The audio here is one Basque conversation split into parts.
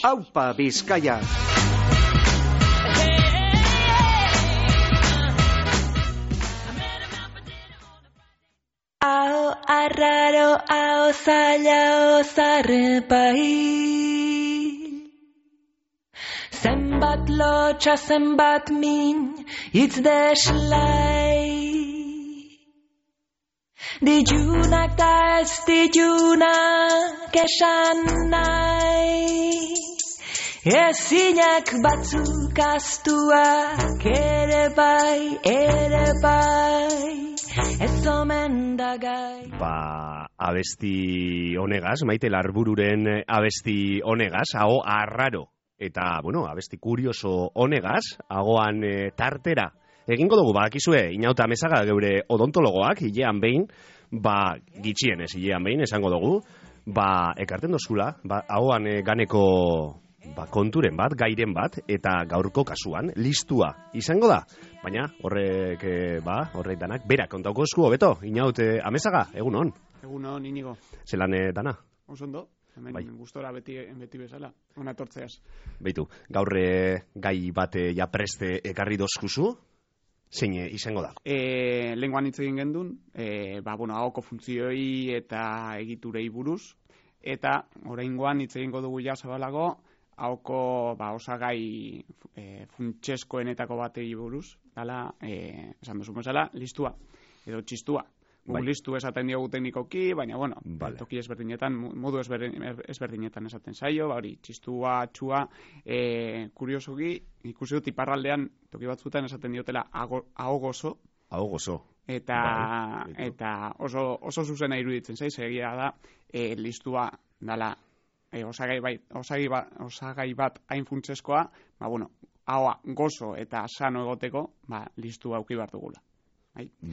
Aupa Bizkaia. Ao arraro, ao zaila, ao zarrepai. Zenbat lotxa, zenbat min, hitz deslai. Dijunak da ez dijunak esan nahi. Ezinak batzuk astuak ere bai, ez omen da gai. Abesti honegaz, Maite Larbururen abesti honegaz, aho arraro. Eta, abesti kurioso honegaz, agoan tartera. Egingo dugu, bakizue, Inauta Mesaga geure odontologoak, hilean behin, gitxienez hilean behin, esango dugu, ekarten dozula, agoan ganeko konturen bat, gairen bat, eta gaurko kasuan, listua izango da. Baina, horrek danak, berak kontauko esku, hobeto, Inaut Amesaga, egun hon. Egun hon, Inigo. Zelan dana? Osondo, hemen gustora beti bezala, ona tortzeaz. Beitu, gaur gai bat preste ekarri dozkuzu, zein izango da? Lenguan hitz egin gendun, ahoko funtzioi eta egiturei buruz, eta oraingoan hitz egingo dugu ja zabalago, ahoko osagai funtseskoenetako batei buruz, dala, esan duzu bezala, listua, edo txistua. Listu esaten diogu teknikoki, baina, toki ezberdinetan, modu ezberdinetan esaten zaio, hori, txistua, txua, kuriosoki, ikusi dut iparraldean, toki batzuetan esaten diotela ahogozo. Ahogozo. Eta oso zuzena iruditzen zaiz, egia da, listua dala, osagai bat hain funtseskoa, ahoa gozo eta sano egoteko, listua auki behar dugula.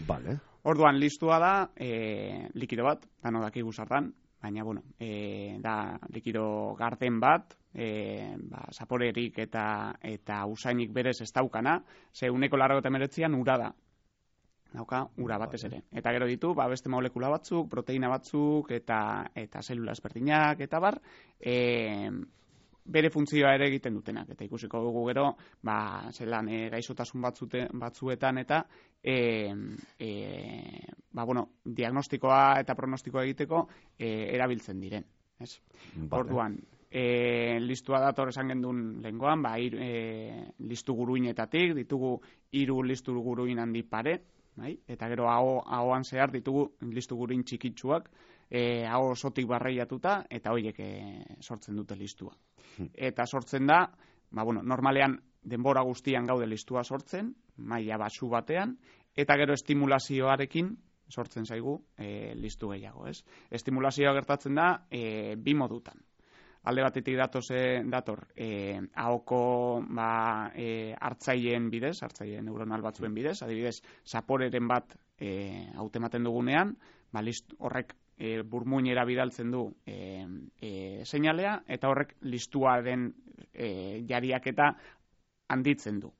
Vale. Orduan, listua da, likido bat, dano dakigu zertan, baina, da likido garden bat, zaporerik eta usainik berez ez daukana, ze 189an ura da. Dauka, ura batez ere. Eta gero ditu, beste molekula batzuk, proteina batzuk, eta zelula ezberdinak, eta bar, bere funtzioa ere egiten dutenak. Eta ikusiko dugu gero, zelan gaixotasun batzuetan, eta diagnostikoa eta pronostikoa egiteko erabiltzen diren. Orduan, listua dator esan gendun lengoan, listu guruinetatik, ditugu 3 listu guruin handi pare, eta gero ahoan zehar ditugu listu guruin txikitsuak, aho osotik barreiatuta, eta horiek sortzen dute listua. Eta sortzen da, normalean denbora guztian gaude listua sortzen, maila basu batean, eta gero estimulazioarekin sortzen zaigu listu gehiago, ez? Estimulazioa gertatzen da 2 modutan. Alde batetik dator ahoko hartzaileen bidez, hartzaile neuronal batzuen bidez, adibidez, zaporeren bat hautematen dugunean, horrek burmuinera bidaltzen du seinalea, eta horrek listuaren jariaketa handitzen du.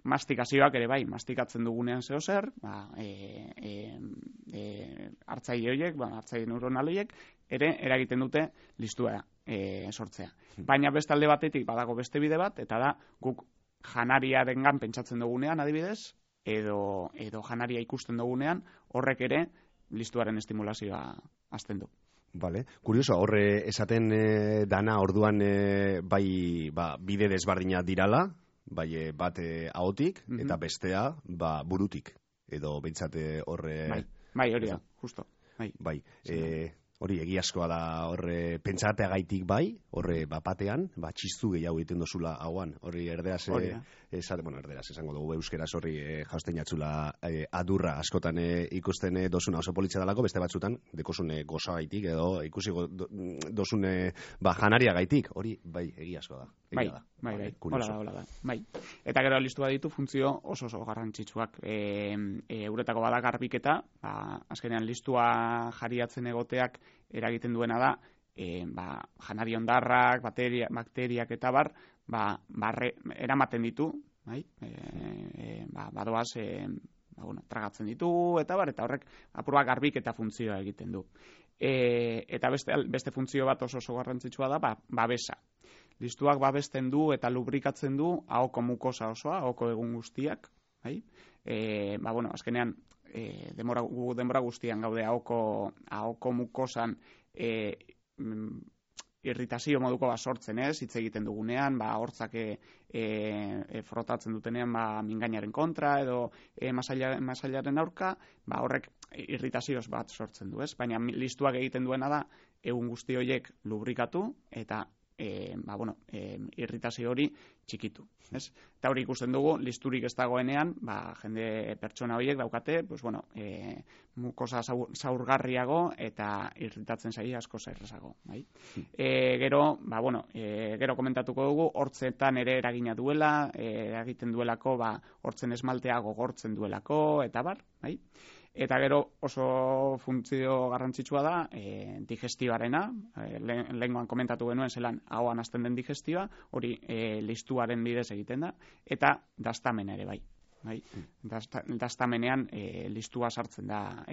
Mastikazioak ere mastikatzen dugunean zehozer, hartzaile horiek, hartzaile neuronal horiek, ere eragiten dute listua sortzea. Baina beste alde batetik badago beste bide bat, eta da guk janariarengan pentsatzen dugunean adibidez, edo janaria ikusten dugunean, horrek ere listuaren estimulazioa hasten du. Vale. Kurioso, horre esaten dana orduan bide desbardina dirala, bat ahotik, eta bestea burutik, edo behintzate horre... Bai, hori da, justo. Hori egiazkoa da horre pentsateagaitik horre batean, txistu gehiago egiten dozula hauan, hori erderaz esango dugu euskeraz horri jausten jatzula adurra askotan ikusten dozuna oso politxa dalako, beste batzutan dekosune goza gaitik edo ikusi dozune janaria gaitik, hori egiazkoa da. Hola da. Eta gero listua ditu funtzio oso garrantzitsuak. Euretako bada garbiketa, azkenean listua jariatzen egoteak eragiten duena da, janari ondarrak, bakteriak eta eramaten ditu, badoaz, tragatzen ditu, eta horrek apurua garbiketa funtzioa egiten du. Eta beste funtzio bat oso garrantzitsua da, babesa. listuak babesten du eta lubrikatzen du ahoko mukosa osoa, ahoko egun guztiak, bai? Azkenean, denbora guztian gaude ahoko mukosan irritazio moduko sortzen, hitz egiten dugunean, hortzak frotatzen dutenean mingainaren kontra edo masailaren aurka, horrek irritazioz bat sortzen du, ez? Baina listuak egiten duena da egun guzti horiek lubrikatu eta irritazio hori txikitu, ez? Eta hori ikusten dugu, listurik ez dagoenean, jende pertsona horiek daukate, mukosa zaurgarriago eta irritatzen zaie asko errazago, bai? Gero komentatuko dugu, hortzetan ere eragina duela, eragiten duelako, hortzen esmaltea gogortzen duelako, eta bar, bai? Eta gero oso funtzio garrantzitsua da digestioarena, lehengoan komentatu genuen zelan ahoan hasten den digestioa, hori listuaren bidez egiten da, eta daztamena ere bai. Daztamenean listua sartzen da,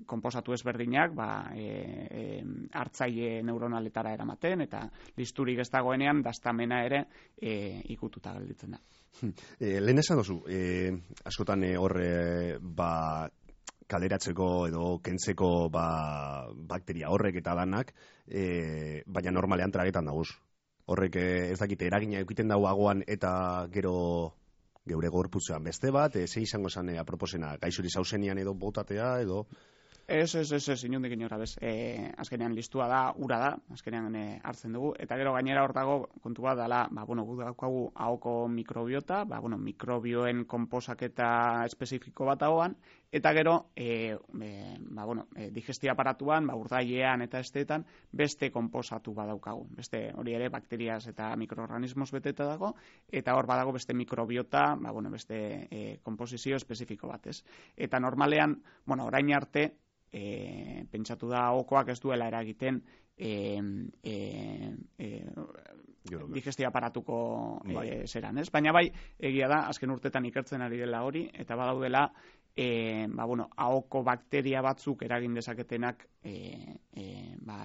konposatu ezberdinak hartzaile neuronaletara eramaten, eta listurik ez dagoenean daztamena ere ikututa gelditzen da. Lehen esan dozu, askotan kaleratzeko edo kentzeko bakteria horrek eta danak, baina normalean tragetan dagoz. Horrek ez dakite eragina eukiten dago agoan eta gero geure gorputzean beste bat, ze izango zen aproposena, gaixuri zauzenian edo botatea edo... Ez, inondik inora, bez. Azkenean listua da, ura da, azkenean hartzen dugu, eta gero gainera hor dago kontu bat dela, gu daukagu ahoko mikrobiota, mikrobioen konposaketa espezifiko bat dagoan, eta gero, digestio aparatuan, urdailean eta esteetan, beste konposatu bat daukagu. Beste hori ere bakteriaz eta mikroorganismos beteta dago, eta hor badago beste mikrobiota, beste komposizio espezifiko bat, ez. Eta normalean, orain arte, pentsatu da ahokoak ez duela eragiten digestio aparatuko zeran, ez? Baina bai, egia da, azken urtetan ikertzen ari dela hori, eta badaudela ahoko bakteria batzuk eragin dezaketenak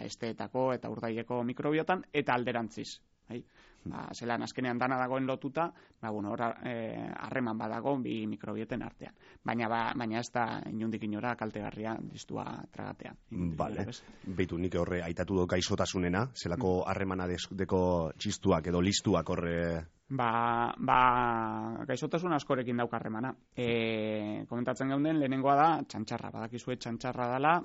esteetako eta urdaileko mikrobiotan, eta alderantziz. Zelan azkenean dana dagoen lotuta, harreman badago bi mikrobieten artean. Baina ez da inundik inora kaltegarria listua tragatea. Bale, beitu nik horre aitatu do gaixotasunena, zelako harremana deko txistuak edo listuak horre... Gaixotasun askorekin daukarremana. Komentatzen geunden, lehenengoa da txantxarra. Badakizue txantxarra dela,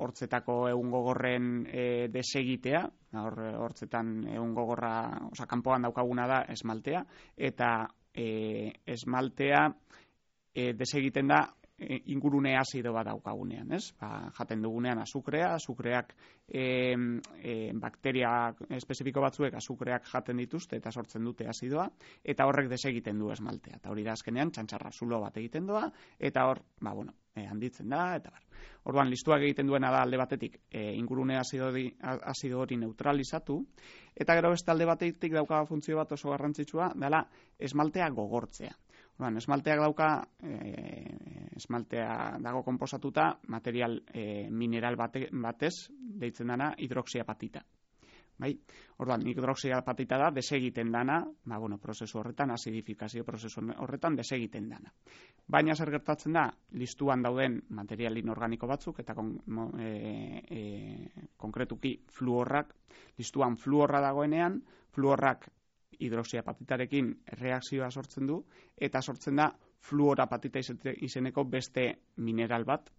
hortzetako egun gogorren desegitea, hortzetan egun gogorra, kanpoan daukaguna da esmaltea, eta esmaltea desegiten da ingurune azido bat daukagunean, ez? Jaten dugunean azukreak bakteria espezifiko batzuek azukreak jaten dituzte eta sortzen dute azidoa, eta horrek desegiten du esmaltea. Eta hori da azkenean txantxarra zulo bat egiten doa, eta hor, handitzen da, eta bar. Orduan, listuak egiten duena da alde batetik ingurune azido hori neutralizatu, eta gero beste alde batetik dauka funtzio bat oso garrantzitsua, dela esmaltea gogortzea. Esmalteak esmaltea dago konposatuta material mineral batez deitzen dana hidroxiapatita. Orduan, hidroxiapatita da desegiten dana, prozesu horretan, azidifikazio prozesu horretan desegiten dana. Baina zer gertatzen da, listuan dauden material inorganiko batzuk, eta konkretuki fluorrak, listuan fluorra dagoenean, fluorrak hidroxiapatitarekin reakzioa sortzen du, eta sortzen da fluorapatita izeneko beste mineral bat,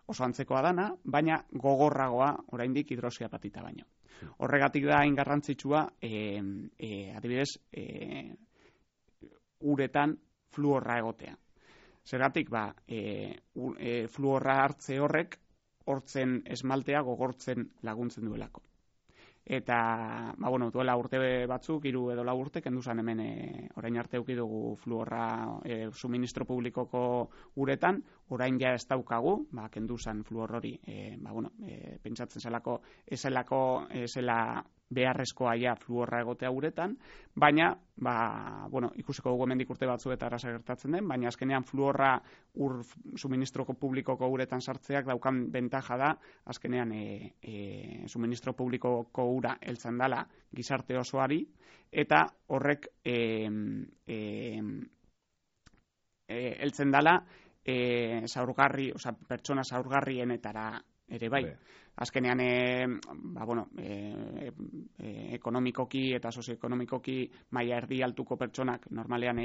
oso antzekoa dana, baina gogorragoa oraindik hidroxiapatita baino. Horregatik da hain garrantzitsua, adibidez, uretan fluorra egotea. Zergatik, fluorra hartze horrek, hortzen esmaltea gogortzen laguntzen duelako. Eta, duela urte batzuk, 3 edo 4 urte, kenduzan hemen orain arte eduki dugu fluorra suministro publikoko uretan, orain ja ez daukagu, kenduzan fluor hori, pentsatzen zelako, ezela beharrezkoa ja fluorra egotea uretan, baina, ikusiko dugu hemendik urte batzuetara gertatzen den, baina azkenean fluorra suministroko publikoko uretan sartzeak daukan bentaja da, azkenean suministro publikoko ura heltzen dala gizarte osoari, eta horrek heltzen dala pertsona zaurgarrienetara ere bai. Azkenean, ekonomikoki eta sozioekonomikoki maila erdi altuko pertsonak normalean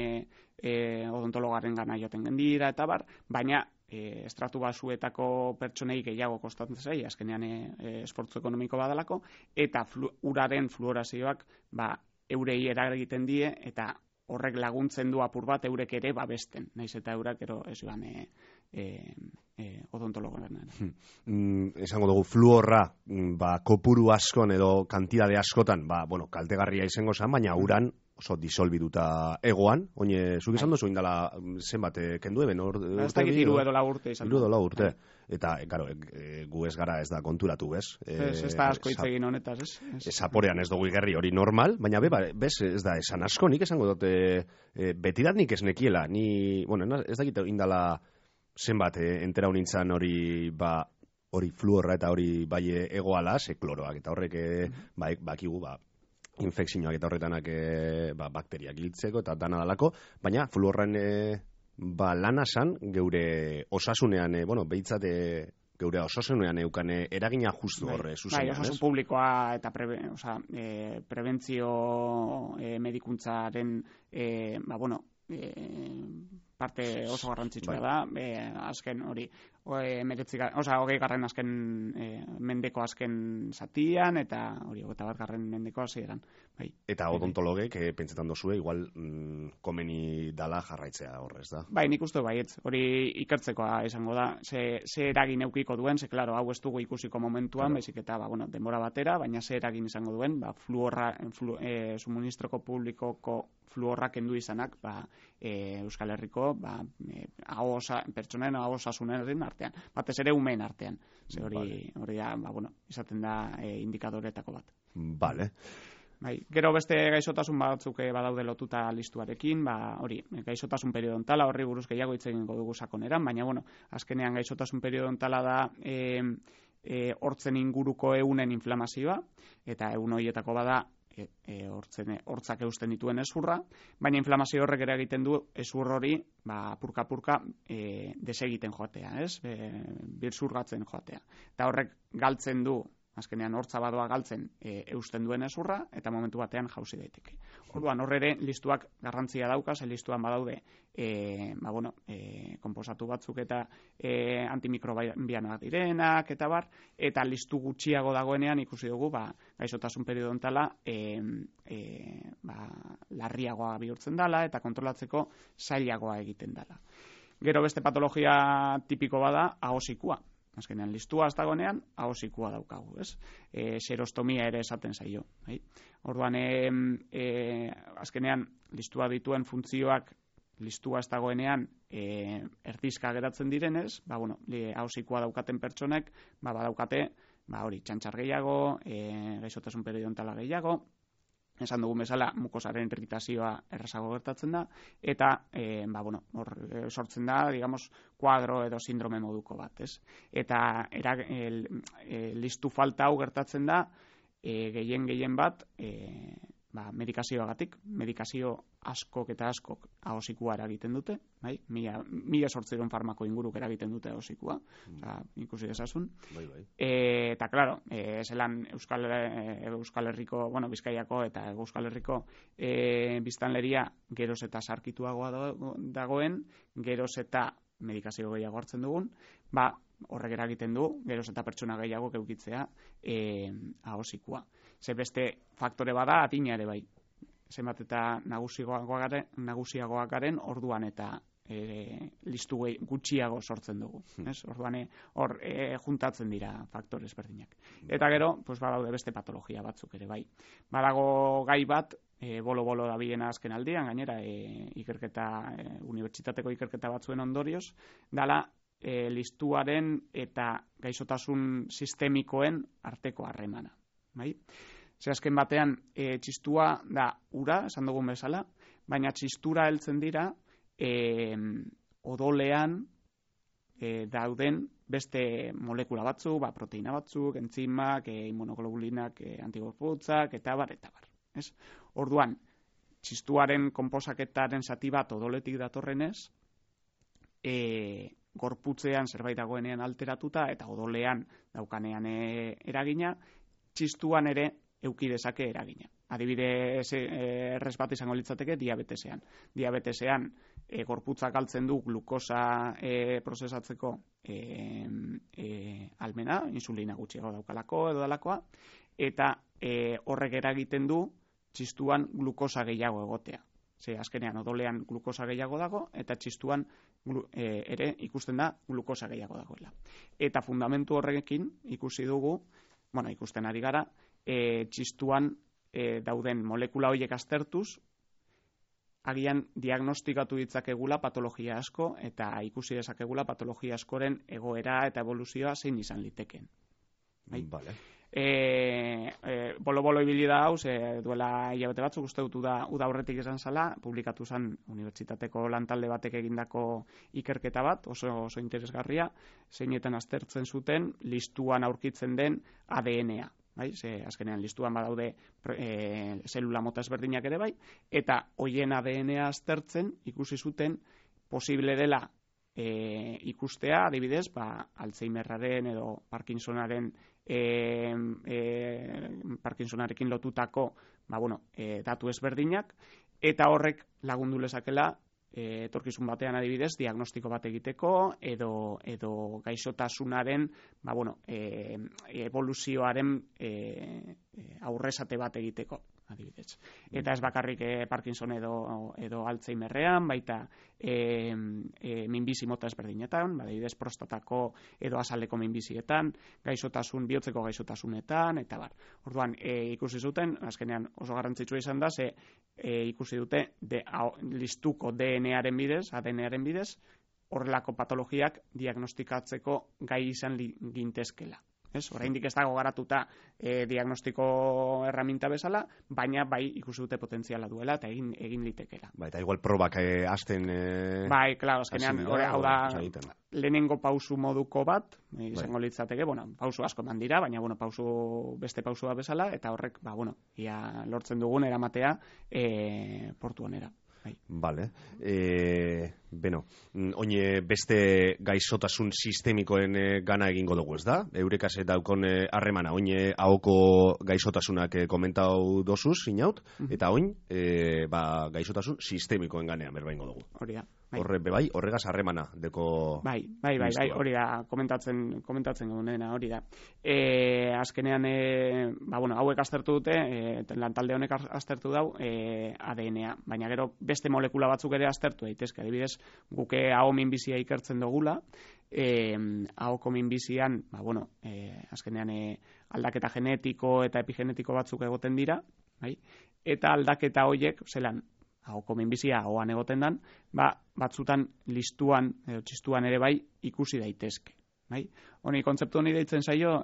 odontologaren gana joaten gendira eta bar, baina estratu basuetako pertsonei gehiago kostatzen zaie, azkenean esfortzu ekonomiko badalako, eta uraren fluorazioak eurei eragiten die, eta horrek laguntzen du apur bat eurek ere babesten, naiz eta eurak ero ez joan odontologoan. Esango dugu, fluorra kopuru askon edo kantidade askotan, kaltegarria izango zen, baina uran oso disolbiduta egoan, oine, zuk izan duzu indala zenbat kendu eben? Ez dakit 3 edo 4 urte izan. 3 edo 4 urte. Eta, gu ez gara ez da konturatu, bez? Ez da asko hitz egin honetaz, ez? Zaporean ez dugu igerri hori normal, baina bez ez da esan asko, nik esango dute betidat nik ez nekiela, ez dakit indala zenbat entera honintzan hori hori fluorra eta hori bai egoala, kloroak, eta horrek bakigu infekzioak eta horretanak bakteriak hiltzeko eta dana dalako, baina fluorren lana san geure osasunean, behitzat geure osasunean eukan eragina justu horre zuzenean, osasun publikoa eta prebentzio medikuntzaren parte oso garrantzitsua da, azken hori, 20. azken mendeko azken zatian, eta hori 21. mendeko hasieran. Eta odontologek, pentsetan dozue, igual komeni dala jarraitzea horrez da? Nik uste baietz, hori ikertzekoa izango da, ze eragin eukiko duen, ze klaro, hau ez dugu ikusiko momentuan, baizik eta denbora batera, baina ze eragin izango duen, suministroko publikoko fluorra kendu izanak, Euskal Herriko, pertsonen ahosasunen artean, batez ere umeen artean. Hori da, izaten da indikadoretako bat. Vale. Gero beste gaixotasun batzuk badaude lotuta listuarekin, hori, gaixotasun periodontala, horri buruz gehiago hitz egingo dugu sakoneran, baina, azkenean gaixotasun periodontala da hortzen inguruko ehunen inflamazioa, eta ehun horietako bada hortzak eusten dituen ezurra, baina inflamazio horrek ere egiten du ezur hori apurka-apurka desegiten joatea, birzurgatzen joatea. Eta horrek galtzen du, azkenean hortza badoa galtzen eusten duen ezurra, eta momentu batean jauzi daiteke. Orduan, horre listuak garrantzia dauka, listuan badaude konposatu batzuk eta antimikrobianoak direnak, eta bar, eta listu gutxiago dagoenean ikusi dugu gaixotasun periodontala larriagoa bihurtzen dela eta kontrolatzeko zailagoa egiten dela. Gero beste patologia tipiko bada ahosikua. Azkenean, listua ez dagoenean, ahosikua daukagu, ez? Xerostomia ere esaten zaio. Orduan, azkenean, listua dituen funtzioak listua ez dagoenean erdizka geratzen direnez, ahosikua daukaten pertsonek, badaukate, txantxar gehiago, gaixotasun periodontala gehiago, esan dugun bezala mukosaren irritazioa errazago gertatzen da, eta hor sortzen da, digamos, kuadro edo sindrome moduko bat, ez? Eta listu falta hau gertatzen da gehien bat medikazioagatik, medikazio askok eta askok ahosikua eragiten dute, 1800 farmako inguruk eragiten dute ahosikua, ikusi dezasun. Eta, klaro, zelan Euskal Herriko, Bizkaiako eta Euskal Herriko biztanleria geroz eta sarkituagoa dagoen, geroz eta medikazio gehiago hartzen dugun, horrek eragiten du, geroz eta pertsona gehiago eukitzea ahosikua. Ze beste faktore bada atina ere bai. Zenbat eta nagusiagoak garen orduan eta listu gutxiago sortzen dugu. Orduan hor juntatzen dira faktore ezberdinak. Eta gero, badaude beste patologia batzuk ere bai. Badago gai bat, bolo-bolo dabilena azken aldian, gainera unibertsitateko ikerketa batzuen ondorioz, dala listuaren eta gaixotasun sistemikoen arteko harremana. Ze azken batean txistua da ura, esan dugun bezala, baina txistura heltzen dira odolean dauden beste molekula batzuk, proteina batzuk, entzimak, immunoglobulinak, antigorputzak, eta bar. Ez? Orduan, txistuaren konposaketaren zati bat odoletik datorrenez, gorputzean zerbait dagoenean alteratuta eta odolean daukanean eragina, txistuan ere eduki dezake eragina. Adibidez, errez bat izango litzateke diabetesean. Diabetesean gorputzak galtzen du glukosa prozesatzeko almena, insulina gutxiago daukalako edo dalakoa, eta horrek eragiten du txistuan glukosa gehiago egotea. Ze azkenean odolean glukosa gehiago dago eta txistuan ere ikusten da glukosa gehiago dagoela. Eta fundamentu horrekin ikusi dugu, ikusten ari gara, txistuan dauden molekula horiek aztertuz, agian diagnostikatu ditzakegula patologia asko eta ikusi dezakegula patologia askoren egoera eta evoluzioa zein izan liteken. Vale. Bolo ibili da hau, duela hilabete batzuk uste dut uda aurretik izan zala, publikatu zen unibertsitateko lantalde batek egindako ikerketa bat, oso interesgarria, zeinetan aztertzen zuten listuan aurkitzen den ADN-a. Azkenean listuan badaude zelula mota ezberdinak ere bai, eta hoien ADN-a aztertzen ikusi zuten posible dela ikustea, adibidez, Alzheimerraren edo Parkinsonarekin lotutako datu ezberdinak, eta horrek lagundu lezakela etorkizun batean adibidez diagnostiko bat egiteko edo gaixotasunaren evoluzioaren aurresate bat egiteko adibidez. Eta ez bakarrik Parkinson edo Alzheimerrean, baita minbizi mota ezberdinetan, adibidez prostatako edo azaleko minbizietan, bihotzeko gaixotasunetan, eta bar. Orduan, ikusi zuten, azkenean oso garrantzitsua izan da, ikusi dute listuko DNA-aren bidez, ADN-aren bidez, horrelako patologiak diagnostikatzeko gai izan gintezkela. Oraindik ez dago garatuta diagnostiko erraminta bezala, baina bai ikusi dute potentziala duela eta egin litekela. Eta igual probak hasten... Bai, klaro, azkenean, hau da lehenengo pausu moduko bat, izango litzateke, pausu asko eman dira, baina beste pausua bezala, eta horrek, ia lortzen dugun eramatea portu onera. Vale. Oine beste gaixotasun sistemikoen gana egingo dugu, ez da? Eurekaz daukon harremana, oine ahoko gaixotasunak komentau dosuz, inaut, eta oin gaixotasun sistemikoen ganean berbaingo dugu. Hori da. Horregaz harremana deko... Bai, hori da, komentatzen gunena, hori da. Azkenean, hauek aztertu dute, lantalde honek aztertu dau ADN-a, baina gero beste molekula batzuk ere aztertu daitezke, adibidez, guke aho minbizia ikertzen dugula, ahoko minbizian, azkenean aldaketa genetiko eta epigenetiko batzuk egoten dira, eta aldaketa horiek, zelan, ahoko minbizia ahoan egoten dan, batzutan listuan edo txistuan ere bai ikusi daitezke. Honi kontzeptu honi deitzen zaio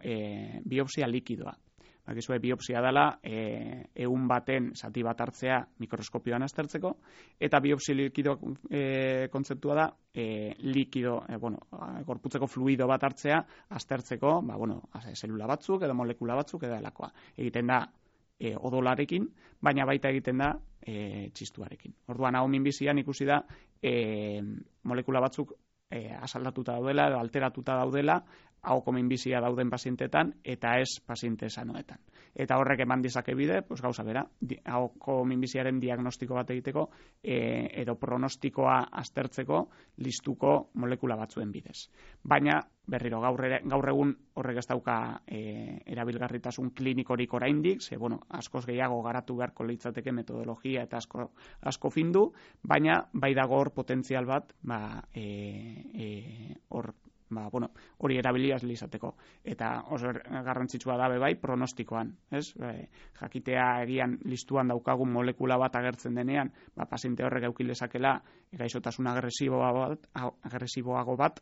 biopsia likidoa. Biopsia dela ehun baten zati bat hartzea mikroskopioan aztertzeko, eta biopsia likido kontzeptua da likido, gorputzeko fluido bat hartzea aztertzeko, zelula batzuk edo molekula batzuk edo delakoa. Egiten da odolarekin, baina baita egiten da txistuarekin. Orduan, hau minbizian ikusi da molekula batzuk asaldatuta daudela edo alteratuta daudela ahoko minbizia dauden pazientetan eta ez paziente sanoetan. Eta horrek eman dizake bide, gauza bera, ahoko minbiziaren diagnostiko bat egiteko edo pronostikoa aztertzeko listuko molekula batzuen bidez. Baina, berriro, gaur egun horrek ez dauka erabilgarritasun klinikorik oraindik, askoz gehiago garatu beharko litzateke metodologia eta asko findu, baina bai dago hor potentzial bat hori erabiliaz izateko. Eta oso garrantzitsua da bai pronostikoan, jakitea egian listuan daukagun molekula bat agertzen denean, paziente horrek eduki lezakela gaixotasun agresiboago bat,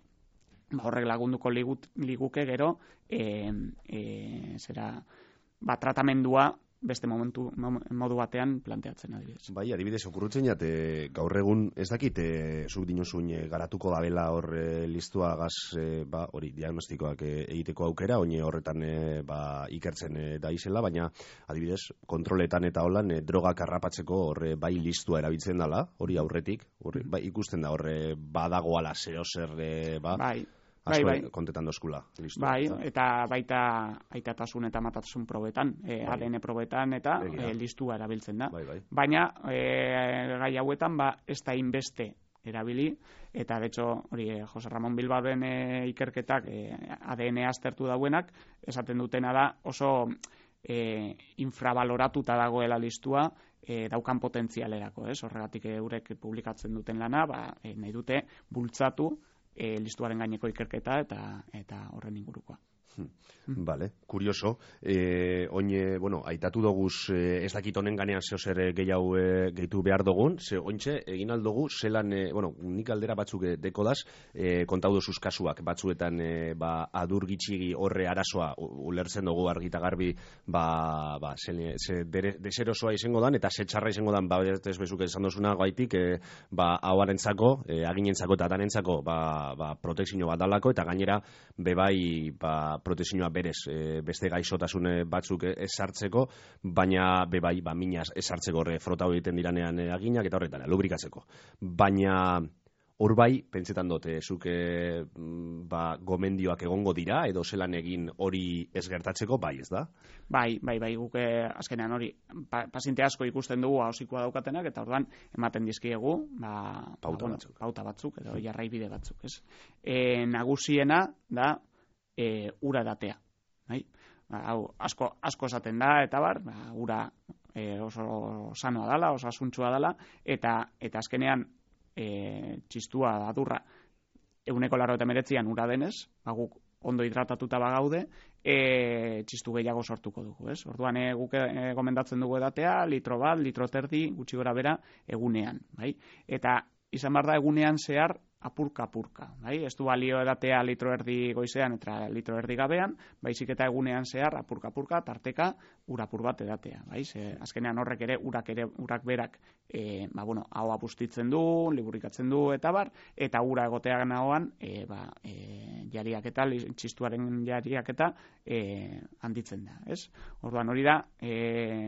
horrek lagunduko liguke gero tratamendua beste modu batean planteatzen adibidez. Bai, adibidez, okurrutzen jate, gaur egun, ez dakit, zuk dinozuin garatuko dabela hor listua gaz, hori, diagnostikoak egiteko aukera, oine horretan ikertzen da izela, baina, adibidez, kontroletan eta holan, drogak harrapatzeko hor bai listua erabiltzen dela, hori aurretik, bai, ikusten da hor badagoala zeo zer, Bai. Kontetan dozkula. Bai, eta baita aitatasun eta matatasun probetan, ADN probetan eta listua erabiltzen da. Bai. Baina, gai hauetan, ez da inbeste erabili, eta de hecho, hori, Jose Ramon Bilbaoren ikerketak ADN aztertu dauenak, esaten dutena da oso infravaloratuta dagoela listua, daukan potentzialerako, horregatik eurek publikatzen duten lana, nahi dute bultzatu listuaren gaineko ikerketa eta horren ingurukoa. Vale, kurioso. Oine, aitatu doguz ez dakit honen ganean zehozer gehiago gehitu behar dugun, ze ointxe egin aldugu, zelan, nik aldera batzuk dekodaz, kontau dozuz kasuak, batzuetan adur gitxigi horre arazoa ulertzen dugu argita garbi, deserosoa izango dan, eta setxarra izango dan, ez bezuk esan dozuna gaitik, hauarentzako, aginentzako eta danentzako, protekzio bat dalako, eta gainera, bebai, protekzioa berez beste gaixotasun batzuk esartzeko, baina bebai minaz esartzeko horre frotau egiten diranean aginak eta horretan, lubrikatzeko. Baina hor bai, pentsetan dute, zuk gomendioak egongo dira, edo zelan egin hori ez gertatzeko, bai ez da? Bai, guk azkenean hori, paziente asko ikusten dugu hausikoa daukatenak, eta orduan ematen dizkiegu, pauta batzuk, edo jarraibide batzuk, ez? Nagusiena da, ura edatea. Hau, asko esaten da, eta ura oso sanoa dela, oso asuntsua dela, eta azkenean txistua adurra 189an ura denez, guk ondo hidratatuta bagaude, txistu gehiago sortuko dugu, ez? Orduan guk gomendatzen dugu edatea, litro bat, litro terdi, gutxi gora bera, egunean, bai? Eta izan behar da egunean zehar apurka, bai? Ez du balio edatea litro erdi goizean eta litro erdi gabean, baizik eta egunean zehar apurka, tarteka urapur bat edatea, bai? Azkenean horrek ere, urak berak, ahoa bustitzen du, liburikatzen du, eta ura egotean ahoan, jariaketa, txistuaren jariaketa handitzen da, ez? Orduan hori da,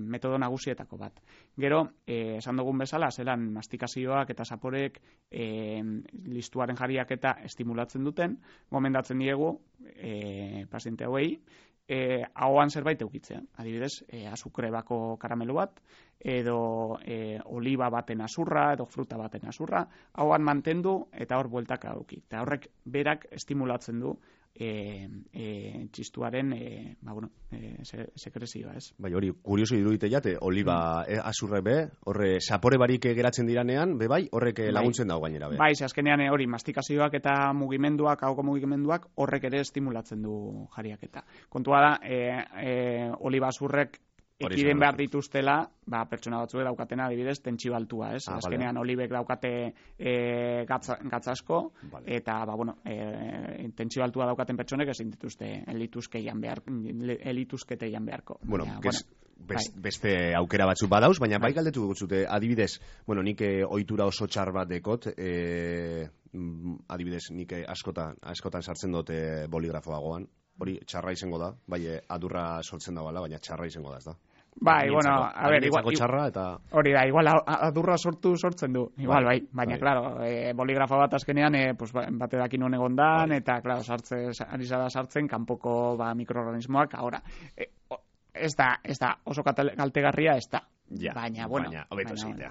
metodo nagusietako bat. Gero, esan dugun bezala, zelan mastikazioak eta zaporek listuaren jariaketa estimulatzen duten, gomendatzen diegu paziente hauei, ahoan zerbait eukitzea. Adibidez, azukrebako karamelo bat, edo oliba baten azurra, edo fruta baten azurra, ahoan mantendu eta hor bueltaka euki. Eta horrek berak estimulatzen du txistuaren sekrezioa, ez? Bai, hori, kurioso irudite jate, oliba azurre be, horre sapore barik geratzen diranean, bai, horrek laguntzen dago gainera be. Bai, azkenean hori, mastikazioak eta mugimenduak, ahoko mugimenduak, horrek ere estimulatzen du jariaketa. Kontua da, oliba azurrek ekiden behar dituztela, pertsona batzuek daukatena adibidez tentsio altua, ez? Azkenean olibek daukate gatza asko, eta tentsio altua daukaten pertsonek ezin dituzte elituzkete jan beharko. Beste aukera batzuk badauz, baina bai galdetu dutzute, adibidez, nik ohitura oso txar bat dekot, adibidez, nik askotan sartzen dute boligrafoa goan, hori txarra izango da, bai adurra sortzen da bala, baina txarra izango da, ez da? Bai, eta hori da, igual adurra sortzen du, igual, bai, baina, claro, boligrafo bat azkenean, bate dakin honen egondan, eta, claro, ari zara sartzen, kanpoko mikroorganismoak, ahora, ez da, oso kaltegarria ez da. Baina, hobeto egitea.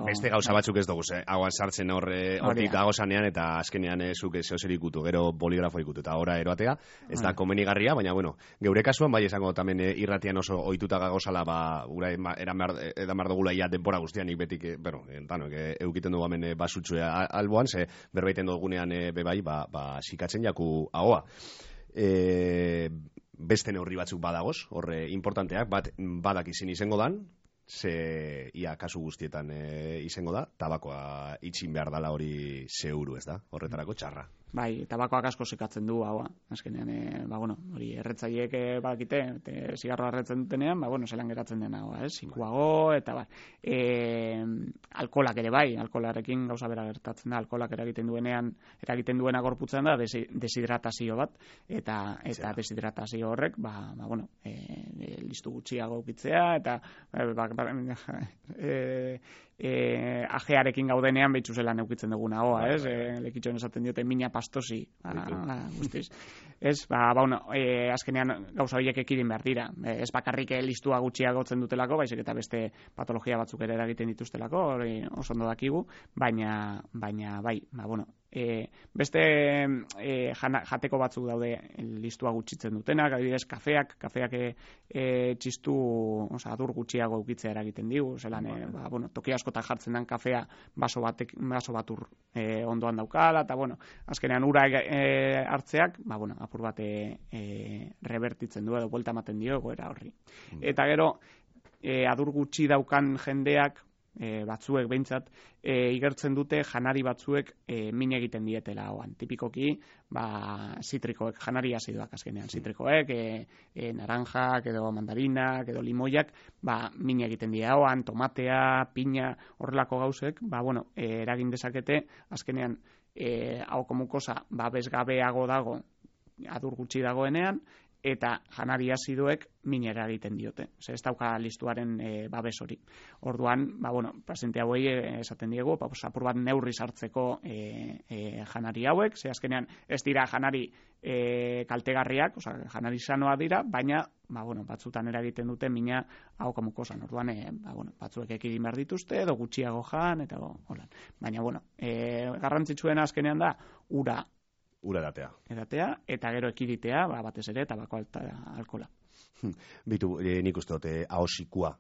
Beste gauza batzuk ez dugu, hauan sartzen hortik dagozanean, eta azkenean zuk zehozer ikutu, gero boligrafo ikutu, eta ora eroatea, ez da komenigarria, baina, geure kasuan, bai esango tamen irratian oso ohituta gagozala, ura edan behar dugula ia denbora guztian, nik betik, eukiten dugu hemen basutxue alboan, ze berbaiten dugunean bebai, sikatzen jaku ahoa. Beste neurri batzuk badagoz, horre importanteak, badak izango dan, ze ia kasu guztietan izango da, tabakoa itxin behar dala hori zeuru, ez da, horretarako txarra. Bai, tabakoak asko sekatzen du haua. Azkenean, hori erretzaileek badakite, zigarroa erretzen dutenean, zelan geratzen dena haua, sikuago, eta alkolak ere bai, alkolarekin gauza bera gertatzen da, alkolak eragiten duena gorputzen da, deshidratazio bat, eta deshidratazio horrek, listu gutxiago ukitzea, eta ajearekin gaudenean behitzu zelan eukitzen duguna hoa, lekitxoen esaten diote mina pastosi, guztiz. Azkenean gauza horiek ekidin behar dira. Ez bakarrik listua gutxiagotzen dutelako, baizik eta beste patologia batzuk ere eragiten dituztelako, hori oso ondo dakigu, baina bai, beste jateko batzuk daude listua gutxitzen dutenak, adibidez kafeak txistu, adur gutxiago eukitzea eragiten digu, zelan, toki askotan jartzen den kafea baso batur ondoan daukala, eta azkenean ura hartzeak, apur bat revertitzen du edo buelta ematen dio egoera horri. Eta gero, adur gutxi daukan jendeak, batzuek behintzat, igertzen dute janari batzuek min egiten dietela hoan. Tipikoki, zitrikoek, janari azidoak azkenean, zitrikoek, naranjak, edo mandarinak, edo limoiak, min egiten dira hoan, tomatea, piña, horrelako gauzek, eragin dezakete, azkenean, hauko mukosa, bezgabeago dago, adur gutxi dagoenean, eta janari azidoek minera egiten diote. Ez dauka listuaren babes hori. Orduan, paziente hauei esaten diegu, apur bat neurri sartzeko janari hauek, ze azkenean ez dira janari kaltegarriak, janari sanoa dira, baina batzutan eragiten dute mina hauko mukosan. Orduan, batzuek ekidin behar dituzte, edo gutxiago jan, eta holan. Baina, garrantzitsuena azkenean da, ura edatea, eta gero ekiditea, batez ere, tabako alkola. Bitu, nik uste dute ahosikua,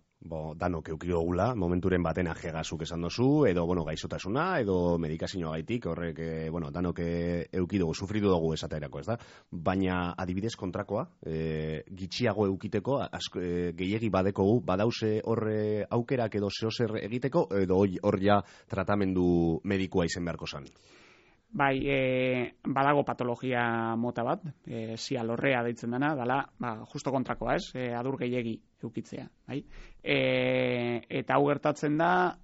danok eukidogula, momenturen baten ajegazuk esan dozu, edo, gaizotasuna, edo medikazioa gaitik, horrek, danok eukidugu, sufritu dugu esaterako, ez da? Baina, adibidez kontrakoa, gitxiago eukiteko, gehiegi badekogu, badauze horre aukerak edo zehozer egiteko, edo hor ja tratamendu medikua izen beharko zan? Bai, badago patologia mota bat, sialorrea deitzen dena, dala, justo kontrakoa ez, adur gehiegi eukitzea. Bai? Eta hau gertatzen da,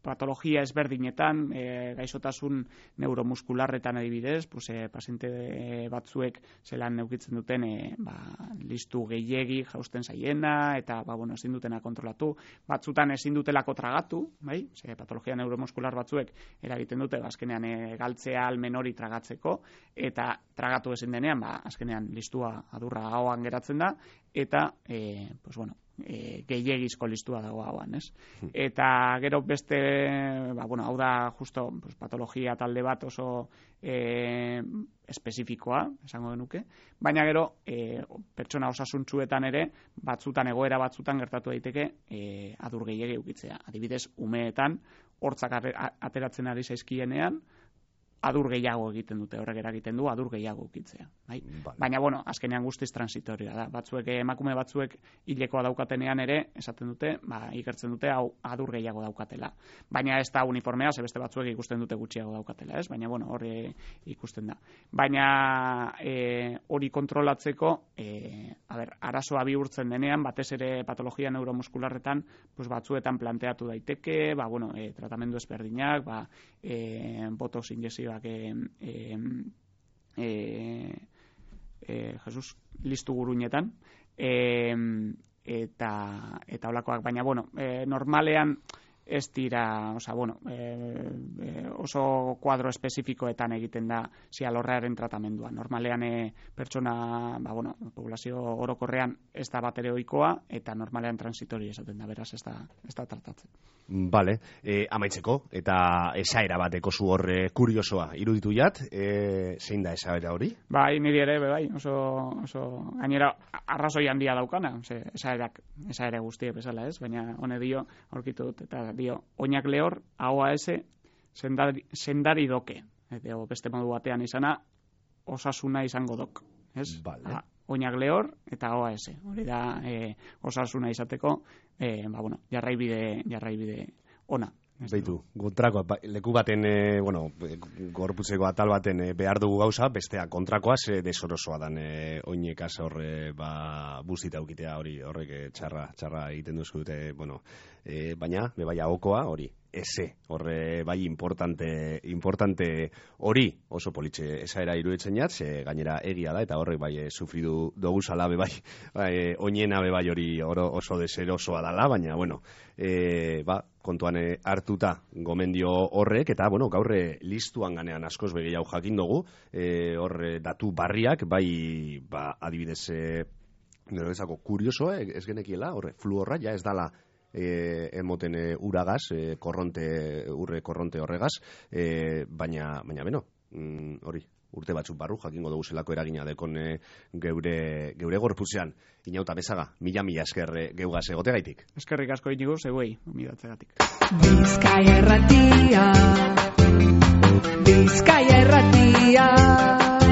patologia ezberdinetan, gaixotasun neuromuskularretan adibidez, paziente batzuek zelan eukitzen duten listu gehiegi jausten zaiena, eta ezin dutena kontrolatu, batzutan ezin dutelako tragatu, bai? Patologia neuromuskular batzuek eragiten dute, azkenean galtzea almen hori tragatzeko, eta tragatu ezin denean, azkenean listua adurra ahoan geratzen da, eta, gehiegizko listua dago hauan, ez? Eta gero beste, hau da justo patologia talde bat oso espezifikoa, esango genuke, baina gero pertsona osasuntsuetan ere, egoera batzutan gertatu daiteke adur gehiegi eukitzea. Adibidez, umeetan, hortzak ateratzen ari zaizkienean, adur gehiago egiten dute, horrek eragiten du adur gehiago ukitzea. Bai? Baina, azkenean guztiz transitorioa da. Emakume batzuek hilekoa daukatenean ere, esaten dute, ikertzen dute hau adur gehiago daukatela. Baina ez da uniformea, ze beste batzuek ikusten dute gutxiago daukatela, ez? Baina, hori ikusten da. Baina hori kontrolatzeko, arazoa bihurtzen denean, batez ere patologia neuromuskularretan, batzuetan planteatu daiteke, tratamendu ezberdinak, botox injekzioak listu guruinetan, eta holakoak, baina, normalean ez dira, oso kuadro espezifikoetan egiten da sialorrearen tratamendua. Normalean pertsona, populazio orokorrean ez da bat ere ohikoa, eta normalean transitori esaten da, beraz ez da tratatzen. Bale, amaitzeko, eta esaera bateko zu horre kuriosoa iruditu jat, zein da esaera hori? Bai, niri ere, oso gainera arrazoi handia daukana, esaera guztiek bezala ez, baina hone dio, aurkitu dut, eta dio, oinak lehor, ahoa ese, sendari doke. Edo beste modu batean izana, osasuna izango dok. Ez? Vale. Oinak lehor eta ahoa ese. Hori da osasuna izateko, jarraibide ona. Beitu, kontrakoa, leku baten, gorputzeko atal baten behar dugu gauza, bestea kontrakoaz, desorosoa dan oinekaz horre, buztita ukitea horrek txarra egiten duzku dute, baina, bebaia okoa, hori, eze, horre, bai, importante hori, oso politxe esaera iruditzen jatz, gainera egia da, eta horrek bai, sufridu dugu zala, bebai, oinena bebai hori oso deserosoa dala, baina, kontuan hartuta gomendio horrek, eta, gaurre listuan ganean askoz begeiau jakin dugu, horre datu barriak, bai, adibidez, nero ezako kuriosoa, ez genekiela, horre, fluorra, ja ez dala emoten uragaz, urre korronte horregaz, baina hori, urte batzuk barru, jakingo dugu zelako eragina dekon geure gorputzean. Inauta Mesaga, mila esker geugaz egote gaitik. Eskerrik asko inigo, zegoei, umidatzegatik. Bizkaia erratia